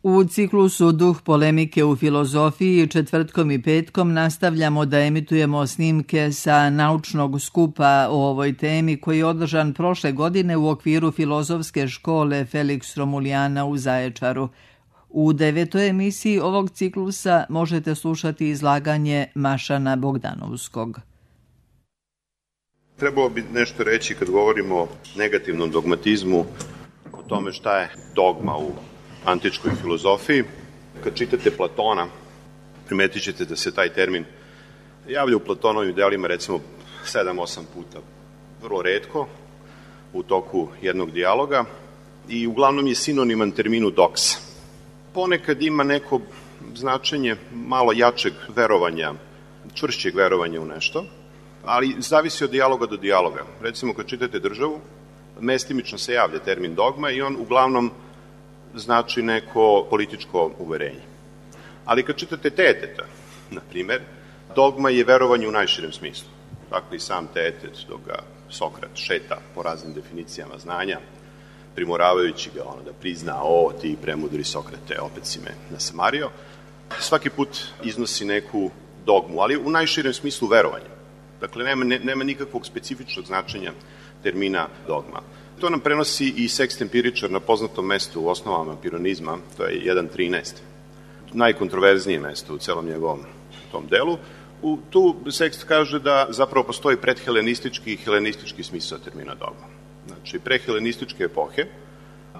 U ciklusu Duh polemike u filozofiji četvrtkom i petkom nastavljamo da emitujemo snimke sa naučnog skupa o ovoj temi koji je održan prošle godine u okviru filozofske škole Felix Romulijana u Zaječaru. U 9. emisiji ovog ciklusa možete slušati izlaganje Mašana Bogdanovskog. Trebalo bi nešto reći kad govorimo o negativnom dogmatizmu, o tome šta je dogma u antičkoj filozofiji. Kad čitate Platona, primetit ćete da se taj termin javlja u Platonovim delima recimo 7-8 puta. Vrlo retko u toku jednog dijaloga i uglavnom je sinoniman terminu doxa. Ponekad ima neko značenje malo jačeg verovanja, čvršćeg verovanja u nešto, ali zavisi od dijaloga do dijaloga. Recimo kad čitate Državu, mestimično se javlja termin dogma i on uglavnom znači neko političko uverenje. Ali kad čitate Teeteta, na primer, dogma je verovanje u najširem smislu. Tako i sam Teetet, dok ga Sokrat šeta po raznim definicijama znanja, primoravajući ga da prizna, ti premudri Sokrate, opet si me nasamario, svaki put iznosi neku dogmu, ali u najširem smislu verovanja. Dakle, nema nikakvog specifičnog značenja termina dogma. To nam prenosi i Sekst Empiričar na poznatom mestu u osnovama pironizma, to je 1.13. Najkontroverznije mesto u celom njegovom tom delu. Tu Sekst kaže da zapravo postoji predhelenistički i helenistički smisao termina dogma. Znači, prehelenističke epohe,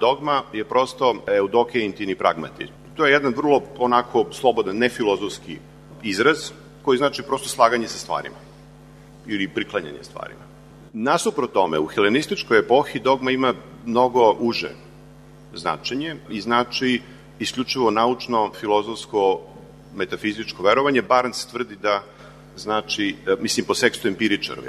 dogma je prosto eudoke intini pragmati. To je jedan vrlo onako slobodan, nefilozofski izraz koji znači prosto slaganje sa stvarima ili priklanjanje stvarima. Nasuprot tome, u helenističkoj epohi dogma ima mnogo uže značenje i znači isključivo naučno, filozofsko, metafizičko verovanje. Barnes tvrdi da znači, po Sekstu Empiričaru,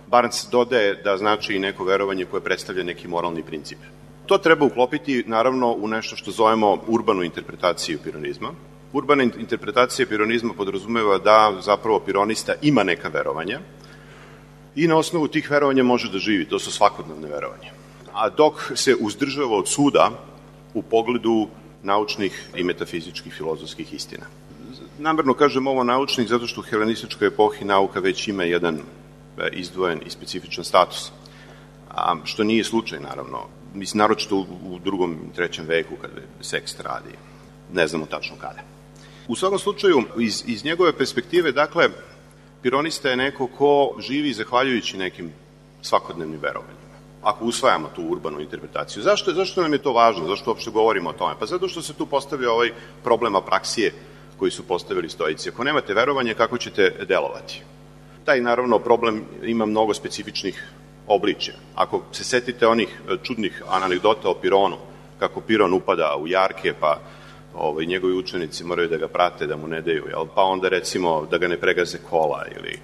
Barnes dodaje da znači i neko verovanje koje predstavlja neki moralni princip. To treba uklopiti, naravno, u nešto što zovemo urbanu interpretaciju pironizma. Urbana interpretacija pironizma podrazumeva da zapravo pironista ima neka verovanja i na osnovu tih verovanja može da živi, to su svakodnevne verovanja. A dok se uzdržava od suda u pogledu naučnih i metafizičkih filozofskih istina. Namerno kažem ovo naučnih zato što u helenističkoj epohi nauka već ima jedan izdvojen i specifičan status, što nije slučaj, naravno. Naročito u 2. i 3. veku kada Sekst radi, ne znamo tačno kada. U svakom slučaju, iz njegove perspektive, dakle, pironista je neko ko živi zahvaljujući nekim svakodnevnim verovanjima. Ako usvajamo tu urbanu interpretaciju. Zašto nam je to važno? Zašto uopšte govorimo o tome? Pa zato što se tu postavio ovaj problem apraksije koji su postavili stoici. Ako nemate verovanje, kako ćete delovati? Taj, naravno, problem ima mnogo specifičnih obličja. Ako se setite onih čudnih anegdota o Pironu, kako Piron upada u jarke, pa njegovi učenici moraju da ga prate, da mu ne daju, pa onda recimo da ga ne pregaze kola ili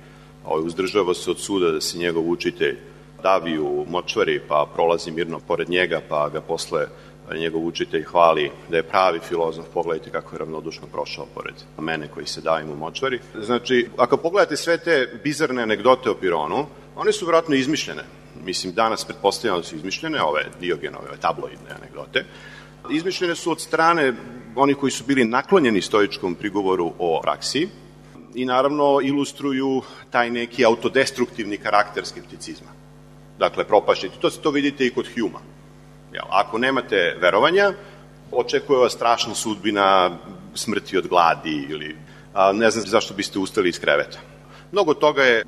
uzdržava se od suda da se njegov učitelj davi u močvari, pa prolazi mirno pored njega, pa ga posle njegov učitelj hvali da je pravi filozof, pogledajte kako je ravnodušno prošao pored mene koji se davim u močvari. Znači, ako pogledate sve te bizarne anegdote o Pironu, one su vjerojatno izmišljene. Danas pretpostavljamo da su izmišljene, ove Diogenove, tabloidne anegdote. Izmišljene su od strane onih koji su bili naklonjeni stoičkom prigovoru o praksi i naravno ilustruju taj neki autodestruktivni karakter skepticizma. Dakle, propašćiti. To vidite i kod Humea. Ako nemate verovanja, očekuje vas strašna sudbina smrti od gladi ili ne znam zašto biste ustali iz kreveta. Mnogo toga je,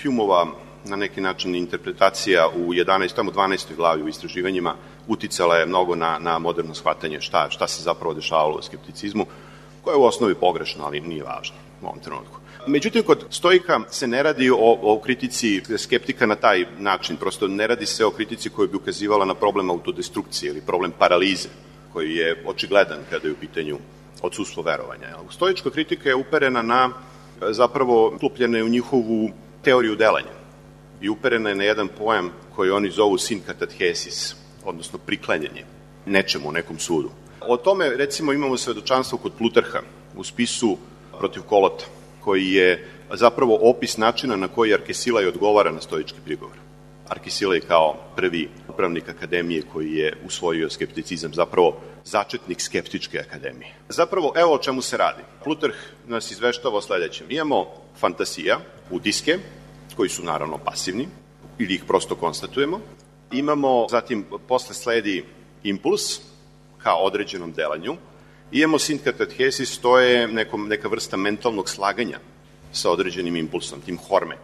Humeova na neki način interpretacija u 12. glavi u istraživanjima uticala je mnogo na moderno shvatanje šta se zapravo dešavalo u skepticizmu, koje je u osnovi pogrešno, ali nije važno u ovom trenutku. Međutim, kod stoika se ne radi o kritici skeptika na taj način, prosto ne radi se o kritici koja bi ukazivala na problem autodestrukcije ili problem paralize, koji je očigledan kada je u pitanju odsustvo verovanja. Stoička kritika je uperena na, zapravo, uklopljena je u njihovu teoriju delanja i uperena je na jedan pojam koji oni zovu sinkatatchesis, odnosno priklanjanje nečemu, nekom sudu. O tome, recimo, imamo svedočanstvo kod Plutarha u spisu protiv Kolota, koji je zapravo opis načina na koji Arkesilaj odgovara na stoički prigovor. Arkisilej kao prvi upravnik akademije koji je usvojio skepticizam, zapravo začetnik skeptičke akademije. Zapravo, evo o čemu se radi. Plutarh nas izveštava o sledećem. Imamo fantasija, utiske, koji su naravno pasivni, ili ih prosto konstatujemo. Imamo, zatim, posle sledi impuls, kao određenom delanju. Imamo sinkatethesis, to je neka vrsta mentalnog slaganja sa određenim impulsom, tim horme.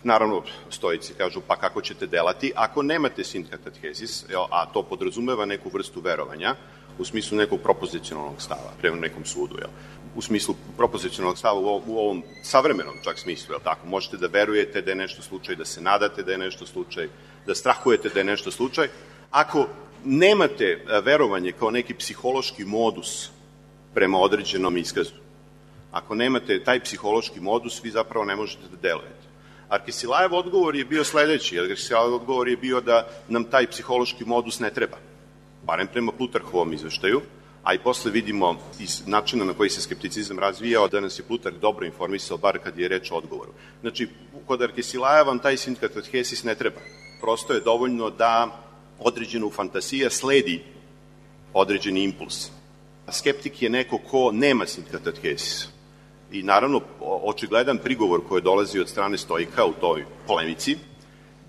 Naravno, stoici kažu, pa kako ćete delati ako nemate sinkatethesis, a to podrazumeva neku vrstu verovanja, u smislu nekog propozicionalnog stava, prema nekom sudu. U smislu propozicionalnog stava u ovom savremenom čak smislu, tako? Možete da verujete da je nešto slučaj, da se nadate da je nešto slučaj, da strahujete da je nešto slučaj. Ako nemate verovanje kao neki psihološki modus prema određenom iskazu, ako nemate taj psihološki modus, vi zapravo ne možete da delujete. Arkesilajev odgovor je bio sledeći. Arkesilajev odgovor je bio da nam taj psihološki modus ne treba. Barem prema Plutarhovom izveštaju, a i posle vidimo iz načina na koji se skepticizam razvijao da nas je Plutarh dobro informisao, bar kad je reč o odgovoru. Znači, kod Arkesilaja vam taj sinkatethesis ne treba. Prosto je dovoljno da određenu fantasija sledi određeni impuls. Skeptik je neko ko nema sinkatethesis. I naravno, očigledan prigovor koji dolazi od strane stoika u toj polemici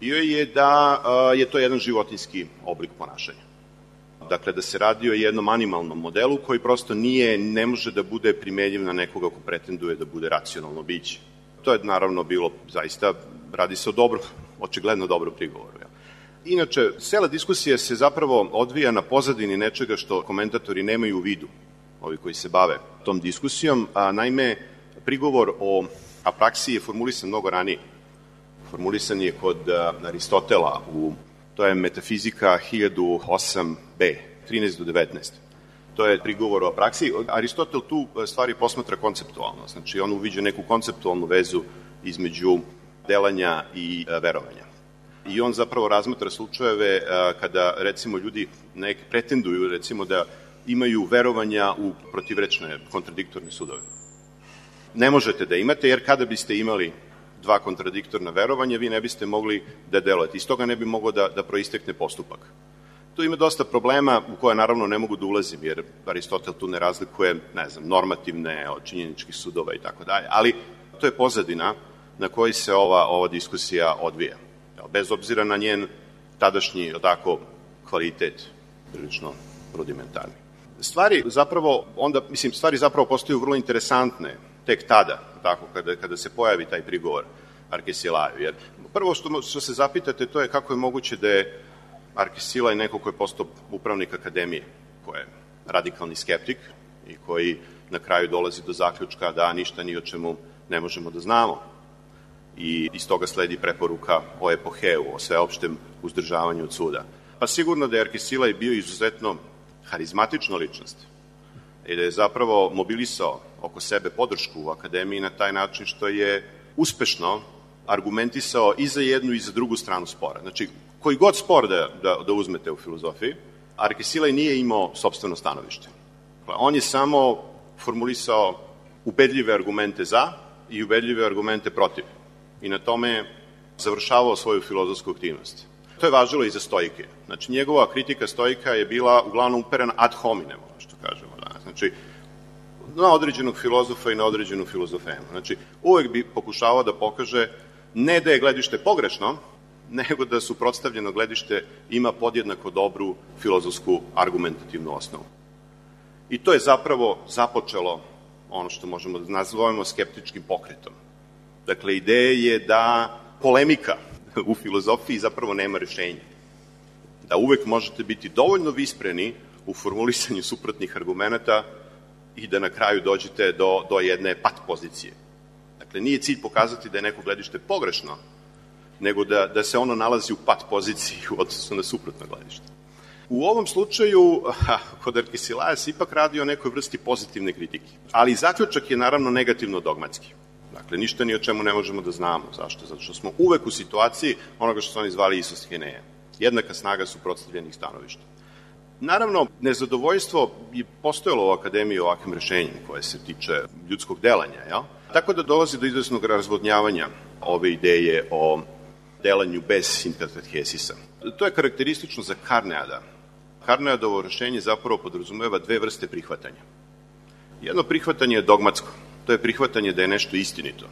bio je da je to jedan životinjski oblik ponašanja. Dakle, da se radi o jednom animalnom modelu koji prosto ne može da bude primenjiv na nekoga ko pretenduje da bude racionalno biće. To je naravno bilo zaista, radi se o očigledno dobro prigovoru. Inače, cela diskusija se zapravo odvija na pozadini nečega što komentatori nemaju u vidu, ovi koji se bave tom diskusijom, a naime, prigovor o apraksiji je formulisan mnogo ranije. Formulisan je kod Aristotela, to je Metafizika 1008b, 13 do 19. To je prigovor o apraksiji. Aristotel tu stvari posmatra konceptualno, znači on uviđa neku konceptualnu vezu između delanja i verovanja. I on zapravo razmatra slučajeve kada, recimo, ljudi pretenduju, recimo, da imaju verovanja u protivrečne, kontradiktorne sudove. Ne možete da imate, jer kada biste imali dva kontradiktorna verovanja, vi ne biste mogli da delujete. Iz toga ne bi moglo da proistekne postupak. Tu ima dosta problema u koje naravno ne mogu da ulazim, jer Aristotel tu ne razlikuje, normativne od činjeničkih sudova i tako dalje, ali to je pozadina na kojoj se ova diskusija odvija. Bez obzira na njen tadašnji, kvalitet, prilično rudimentarni. Stvari zapravo postaju vrlo interesantne tek tada, kada se pojavi taj prigovor Arkesilaju. Jer prvo što se zapitate, to je kako je moguće da je Arkesilaj neko ko je postao upravnik akademije, ko je radikalni skeptik i koji na kraju dolazi do zaključka da ništa ni o čemu ne možemo da znamo. I iz toga sledi preporuka o epoheu, o sveopštem uzdržavanju od suda. Pa sigurno da je Arkesilaj bio izuzetno harizmatična ličnost i da je zapravo mobilisao oko sebe podršku u akademiji na taj način što je uspešno argumentisao i za jednu i za drugu stranu spora. Znači, koji god spor da uzmete u filozofiji, Arkesilaj nije imao sopstveno stanovište. On je samo formulisao ubedljive argumente za i ubedljive argumente protiv. I na tome završavao svoju filozofsku aktivnost. To je važilo i za stoike. Znači, njegova kritika stoika je bila uglavnom uperena ad hominem, što kažemo danas. Znači, na određenog filozofa i na određenu filozofemu. Znači, uvek bi pokušavao da pokaže ne da je gledište pogrešno, nego da suprotstavljeno gledište ima podjednako dobru filozofsku argumentativnu osnovu. I to je zapravo započelo ono što možemo da nazovemo skeptičkim pokretom. Dakle, ideja je da polemika u filozofiji zapravo nema rešenja. Da uvek možete biti dovoljno vispreni u formulisanju suprotnih argumenta i da na kraju dođete do jedne pat pozicije. Dakle, nije cilj pokazati da je neko gledište pogrešno, nego da se ono nalazi u pat poziciji u odnosu na suprotno gledište. U ovom slučaju, kod Arkesilaja se ipak radi o nekoj vrsti pozitivne kritike. Ali zaključak je naravno negativno dogmatski. Dakle, ništa ni o čemu ne možemo da znamo. Zašto? Zato što smo uvek u situaciji onoga što su oni zvali isostheneja. Jednaka snaga suprotstavljenih stanovišta. Naravno, nezadovoljstvo je postojalo u akademiji ovakvim rešenjem koje se tiče ljudskog delanja, jel? Tako da dolazi do izvesnog razvodnjavanja ove ideje o delanju bez sinkathesisa. To je karakteristično za Carneada. Carneadovo rešenje zapravo podrazumeva dve vrste prihvatanja. Jedno prihvatanje je dogmatsko. To je prihvatanje da je nešto istinito.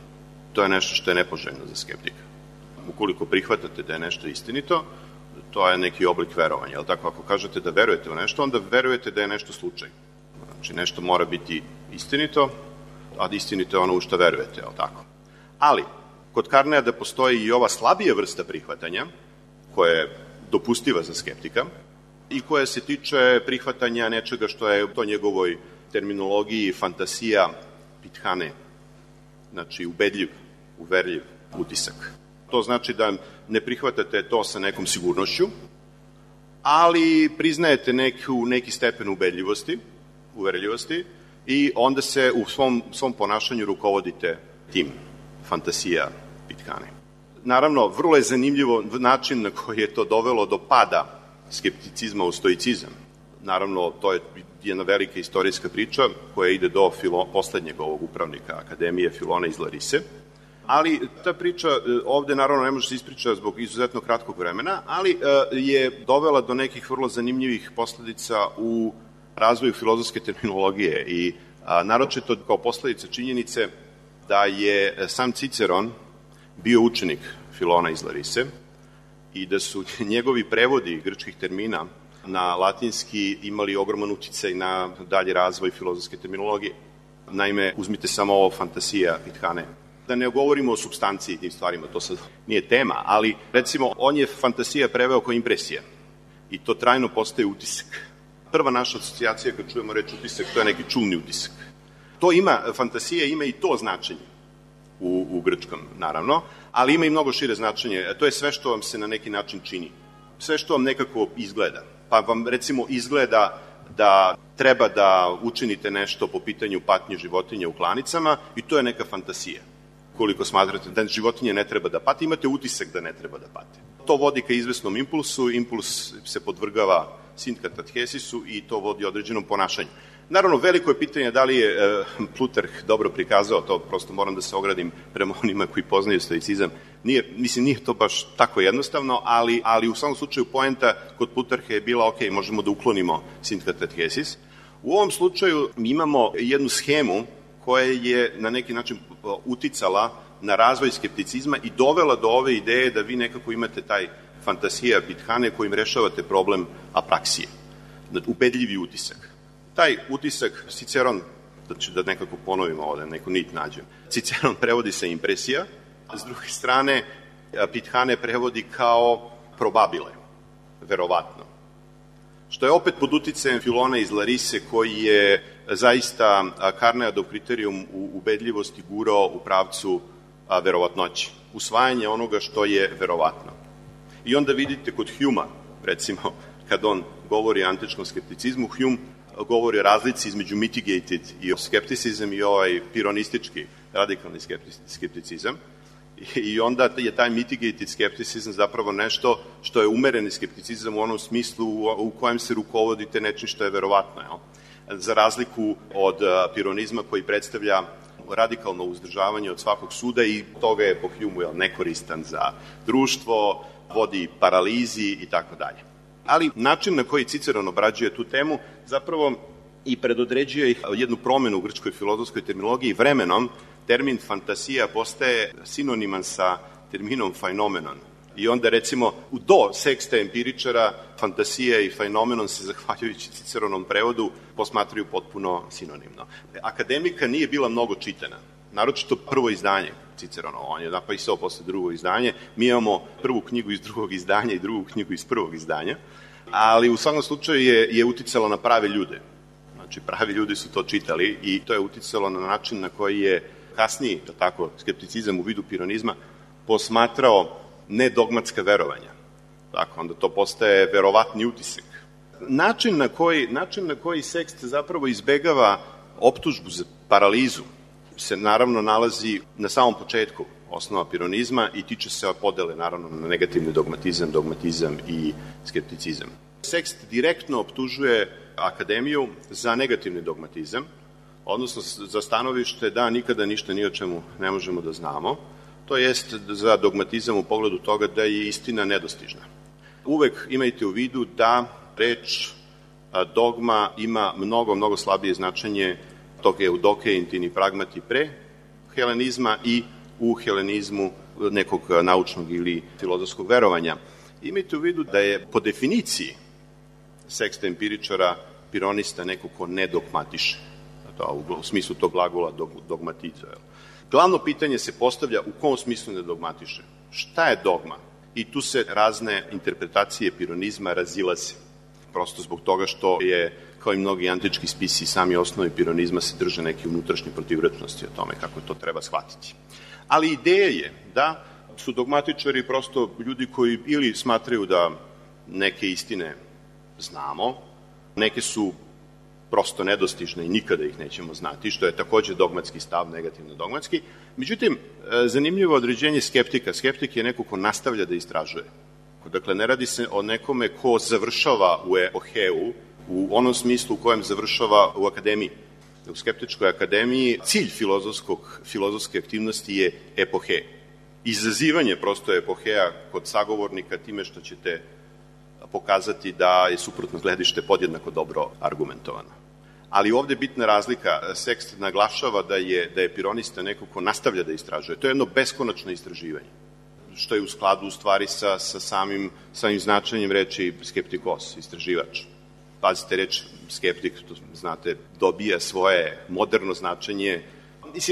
To je nešto što je nepoželjno za skeptika. Ukoliko prihvatate da je nešto istinito, to je neki oblik verovanja. Jel tako? Ako kažete da verujete u nešto, onda verujete da je nešto slučaj. Znači, nešto mora biti istinito, a istinito je ono u što verujete, jel tako? Ali, kod Carneada postoji i ova slabija vrsta prihvatanja, koja je dopustiva za skeptika i koja se tiče prihvatanja nečega što je u to njegovoj terminologiji fantasija pithane, znači ubedljiv, uverljiv utisak. To znači da ne prihvatate to sa nekom sigurnošću, ali priznajete neki stepen ubedljivosti, uverljivosti i onda se u svom ponašanju rukovodite tim fantasija pithane. Naravno, vrlo je zanimljivo način na koji je to dovelo do pada skepticizma u stoicizam. Naravno, to je jedna velika istorijska priča koja ide do poslednjeg ovog upravnika Akademije, Filona iz Larise. Ali ta priča ovde naravno ne može se ispričati zbog izuzetno kratkog vremena, ali je dovela do nekih vrlo zanimljivih posledica u razvoju filozofske terminologije i naročito kao posledica činjenice da je sam Ciceron bio učenik Filona iz Larise i da su njegovi prevodi grčkih termina na latinski imali ogroman uticaj na dalji razvoj filozofske terminologije. Naime, uzmite samo ovo fantasija pithane. Da ne govorimo o supstanciji i tim stvarima, to sad nije tema, ali recimo on je fantasija preveo kao impresija i to trajno postaje utisak. Prva naša asocijacija kad čujemo reč utisak, to je neki čulni utisak. Fantasija ima i to značenje u grčkom, naravno, ali ima i mnogo šire značenje. To je sve što vam se na neki način čini. Sve što vam nekako izgleda. Pa vam recimo izgleda da treba da učinite nešto po pitanju patnje životinja u klanicama i to je neka fantasija. Koliko smatrate da životinje ne treba da pati, imate utisak da ne treba da pate. To vodi ka izvesnom impulsu, impuls se podvrgava sinkathesisu i to vodi određenom ponašanju. Naravno, veliko je pitanje da li je Plutarh dobro prikazao, to prosto moram da se ogradim prema onima koji poznaju stoicizam. Nije to baš tako jednostavno, ali u samom slučaju poenta kod Plutarha je bila ok, možemo da uklonimo sinkathesis. U ovom slučaju mi imamo jednu schemu koja je na neki način uticala na razvoj skepticizma i dovela do ove ideje da vi nekako imate taj fantasija pithane kojim rešavate problem apraksije, ubedljivi utisak. Taj utisak Ciceron, da nekako ponovimo ovde, neku nit nađem, Ciceron prevodi sa impresija, a s druge strane pithane prevodi kao probabile, verovatno. Što je opet pod uticajem Filona iz Larise koji je zaista Carneadov kriterijum u ubedljivosti gurao u pravcu verovatnoći, usvajanje onoga što je verovatno. I onda vidite kod Humea, recimo, kad on govori o antičkom skepticizmu, Hume govori o razlici između mitigated i skepticizam i ovaj pironistički, radikalni skepticizam. I onda je taj mitigated skepticizam zapravo nešto što je umereni skepticizam u onom smislu u kojem se rukovodite nečim što je verovatno. Za razliku od pironizma koji predstavlja radikalno uzdržavanje od svakog suda i toga je po Humeu nekoristan za društvo, vodi paralizi i tako dalje. Ali način na koji Ciceron obrađuje tu temu zapravo i predodređuje jednu promenu u grčkoj filozofskoj terminologiji. Vremenom termin fantasija postaje sinoniman sa terminom fenomenon. I onda recimo do seksta empiričara fantasija i fenomenon se zahvaljujući Ciceronom prevodu posmatraju potpuno sinonimno. Akademika nije bila mnogo čitana, naročito prvo izdanje Ciceronovo, on je napisao posle drugo izdanje, mi imamo prvu knjigu iz drugog izdanja i drugu knjigu iz prvog izdanja, ali u svakom slučaju je uticalo na prave ljude. Znači, pravi ljudi su to čitali i to je uticalo na način na koji je kasniji, tako, skepticizam u vidu pironizma posmatrao nedogmatska verovanja. Tako, onda to postaje verovatni utisak. Način na koji sekst zapravo izbegava optužbu za paralizu se naravno nalazi na samom početku osnova pironizma i tiče se podele naravno na negativni dogmatizam i skepticizam. Sekst direktno optužuje Akademiju za negativni dogmatizam, odnosno za stanovište da nikada ništa ni o čemu ne možemo da znamo, to jest za dogmatizam u pogledu toga da je istina nedostižna. Uvek imajte u vidu da reč dogma ima mnogo slabije značenje tog eudoke intini pragmati pre helenizma i u helenizmu nekog naučnog ili filozofskog verovanja. Imajte u vidu da je po definiciji seksta empiričara pironista neko ko ne dogmatiše, u smislu tog glagola dogmatiza. Glavno pitanje se postavlja u kom smislu ne dogmatiše. Šta je dogma? I tu se razne interpretacije pironizma razilaze. Prosto zbog toga što je, kao i mnogi antički spisi, sami osnovi pironizma se drže neke unutrašnje protivrečnosti o tome kako to treba shvatiti. Ali ideja je da su dogmatičari prosto ljudi koji ili smatraju da neke istine znamo, neke su prosto nedostižne i nikada ih nećemo znati, što je takođe dogmatski stav, negativno dogmatski. Međutim, zanimljivo određenje skeptika. Skeptik je neko ko nastavlja da istražuje. Dakle, ne radi se o nekome ko završava u epoheu, u onom smislu u kojem završava u akademiji. U skeptičkoj akademiji cilj filozofske aktivnosti je epohe. Izazivanje prosto epoheja kod sagovornika time što ćete pokazati da je suprotno gledište podjednako dobro argumentovano. Ali ovde je bitna razlika. Sekst naglašava da je pironista neko ko nastavlja da istražuje. To je jedno beskonačno istraživanje, što je u skladu u stvari sa samim značenjem reči skeptikos, istraživač. Pazite, reč skeptik, to znate, dobija svoje moderno značenje,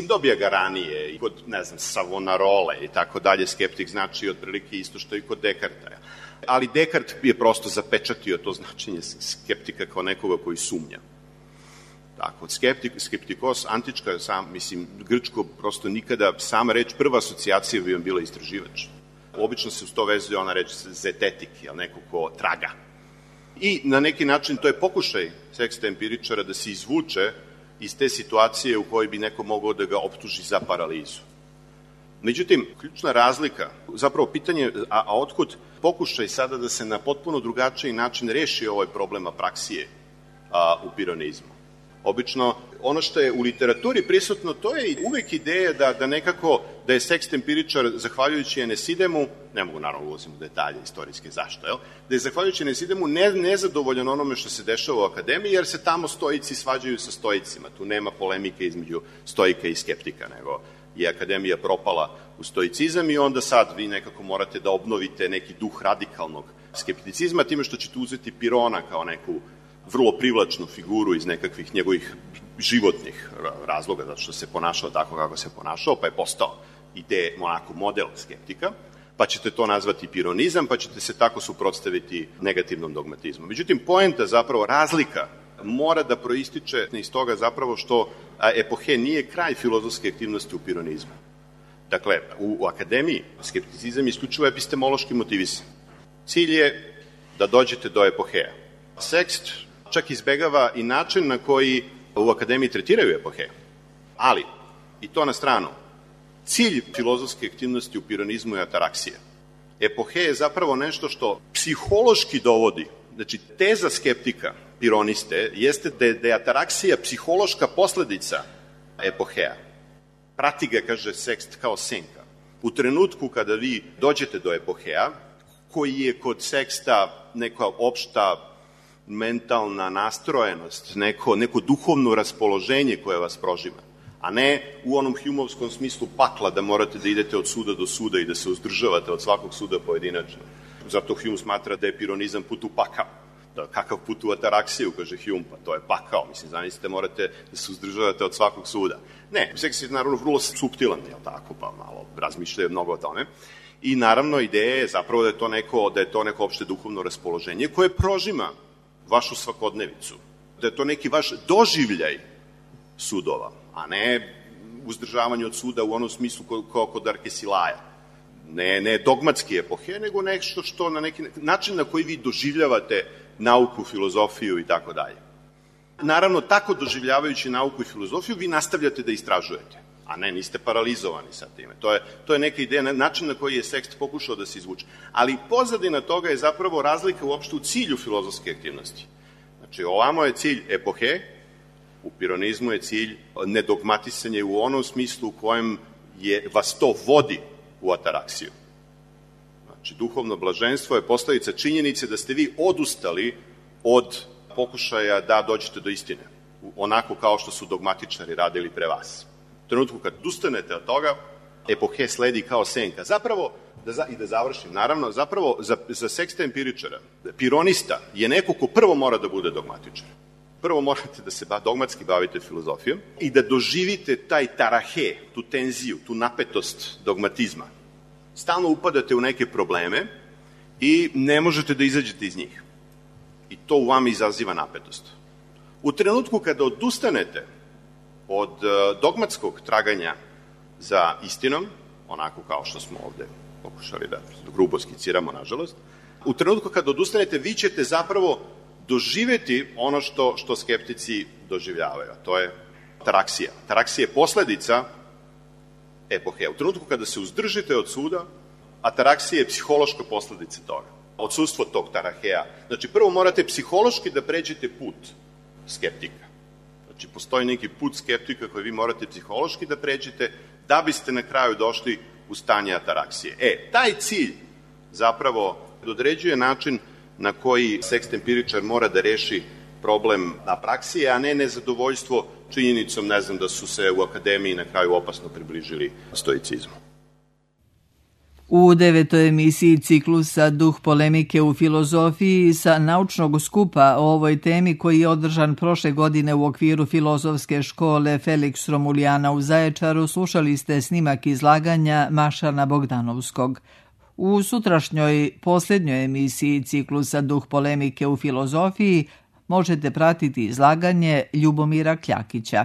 dobija ga ranije i kod, Savonarole i tako dalje, skeptik znači otprilike isto što i kod Dekarta. Ali Dekart je prosto zapečatio to značenje skeptika kao nekoga koji sumnja. Tako, skeptikos, antička, grčko, prosto nikada, sama reč, prva asocijacija bi vam bila istraživač. Obično se uz to vezuje ona reč zetetik, neko ko traga. I na neki način to je pokušaj seksta empiričara da se izvuče iz te situacije u kojoj bi neko mogao da ga optuži za paralizu. Međutim, ključna razlika, zapravo pitanje, a otkud pokušaj sada da se na potpuno drugačiji način reši ovaj problem apraksije u pironizmu? Obično, ono što je u literaturi prisutno, to je uvek ideja da nekako, da je sekst empiričar, zahvaljujući Enesidemu, ne mogu naravno ulazim u detalje istorijske zašto, da je zahvaljujući Enesidemu nezadovoljan onome što se dešava u akademiji, jer se tamo stoici svađaju sa stoicima. Tu nema polemike između stoika i skeptika, nego je akademija propala u stoicizam i onda sad vi nekako morate da obnovite neki duh radikalnog skepticizma time što ćete uzeti Pirona kao neku vrlo privlačnu figuru iz nekakvih njegovih životnih razloga, zato što se ponašao tako kako se ponašao, pa je postao onako model skeptika, pa ćete to nazvati pironizam, pa ćete se tako suprotstaviti negativnom dogmatizmu. Međutim, poenta, zapravo razlika, mora da proističe iz toga zapravo što epohe nije kraj filozofske aktivnosti u pironizmu. Dakle, u akademiji skepticizam je isključivo epistemološki motivisan. Cilj je da dođete do epoheja. Sekst čak izbegava i način na koji u akademiji tretiraju epohe. Ali, i to na stranu, cilj filozofske aktivnosti u pironizmu je ataraksija. Epohe je zapravo nešto što psihološki dovodi, znači teza skeptika pironiste jeste da je ataraksija psihološka posledica epoheja. Prati ga, kaže sekst, kao senka. U trenutku kada vi dođete do epoheja, koji je kod seksta neka opšta mentalna nastrojenost, neko duhovno raspoloženje koje vas prožima, a ne u onom Humeovskom smislu pakla da morate da idete od suda do suda i da se uzdržavate od svakog suda pojedinačno. Zato Hume smatra da je pironizam put u pakao. Kakav put u ataraksiju, kaže Hume, pa to je pakao. Zamislite, morate da se uzdržavate od svakog suda. Ne, seks je naravno vrlo suptilan, tako, pa malo razmišljaju mnogo o tome. I naravno ideja je zapravo da je to neko opšte duhovno raspoloženje koje prožima vašu svakodnevicu. Da je to neki vaš doživljaj sudova, a ne uzdržavanje od suda u onom smislu kao kod Arkesilaja. Ne dogmatski epohe, nego nešto što na neki način na koji vi doživljavate nauku, filozofiju i tako dalje. Naravno, tako doživljavajući nauku i filozofiju, vi nastavljate da istražujete, a ne, niste paralizovani sa time. To je neka ideja, način na koji je sekst pokušao da se izvuče. Ali pozadina toga je zapravo razlika uopšte u cilju filozofske aktivnosti. Znači, ovamo je cilj epohe, u pironizmu je cilj nedogmatisanje u onom smislu u kojem vas to vodi u ataraksiju. Znači, duhovno blaženstvo je posledica činjenice da ste vi odustali od pokušaja da dođete do istine, onako kao što su dogmatičari radili pre vas. U trenutku kad odustanete od toga, epohe sledi kao senka. Zapravo, i da završim, naravno, zapravo za seksta empiričara, pironista je neko ko prvo mora da bude dogmatičar. Prvo morate da se dogmatski bavite filozofijom i da doživite taj tarahe, tu tenziju, tu napetost dogmatizma. Stalno upadate u neke probleme i ne možete da izađete iz njih. I to u vama izaziva napetost. U trenutku kada odustanete od dogmatskog traganja za istinom, onako kao što smo ovde pokušali da grubo skiciramo, nažalost, u trenutku kada odustanete, vi ćete zapravo doživeti ono što skeptici doživljavaju, a to je ataraksija. Ataraksija je posledica epohe. U trenutku kada se uzdržite od suda, ataraksija je psihološka posledica toga. Odsustvo tog taraheja. Znači, prvo morate psihološki da pređete put skeptika. Znači, postoji neki put skeptika koji vi morate psihološki da pređete da biste na kraju došli u stanje ataraksije. Taj cilj zapravo određuje način na koji sekst empiričar mora da reši problem apraksije, a ne nezadovoljstvo činjenicom, ne znam, da su se u akademiji na kraju opasno približili stoicizmu. U 9. emisiji ciklusa Duh polemike u filozofiji sa naučnog skupa o ovoj temi koji je održan prošle godine u okviru filozofske škole Felix Romulijana u Zaječaru slušali ste snimak izlaganja Mašana Bogdanovskog. U sutrašnjoj posljednjoj emisiji ciklusa Duh polemike u filozofiji možete pratiti izlaganje Ljubomira Kljakića.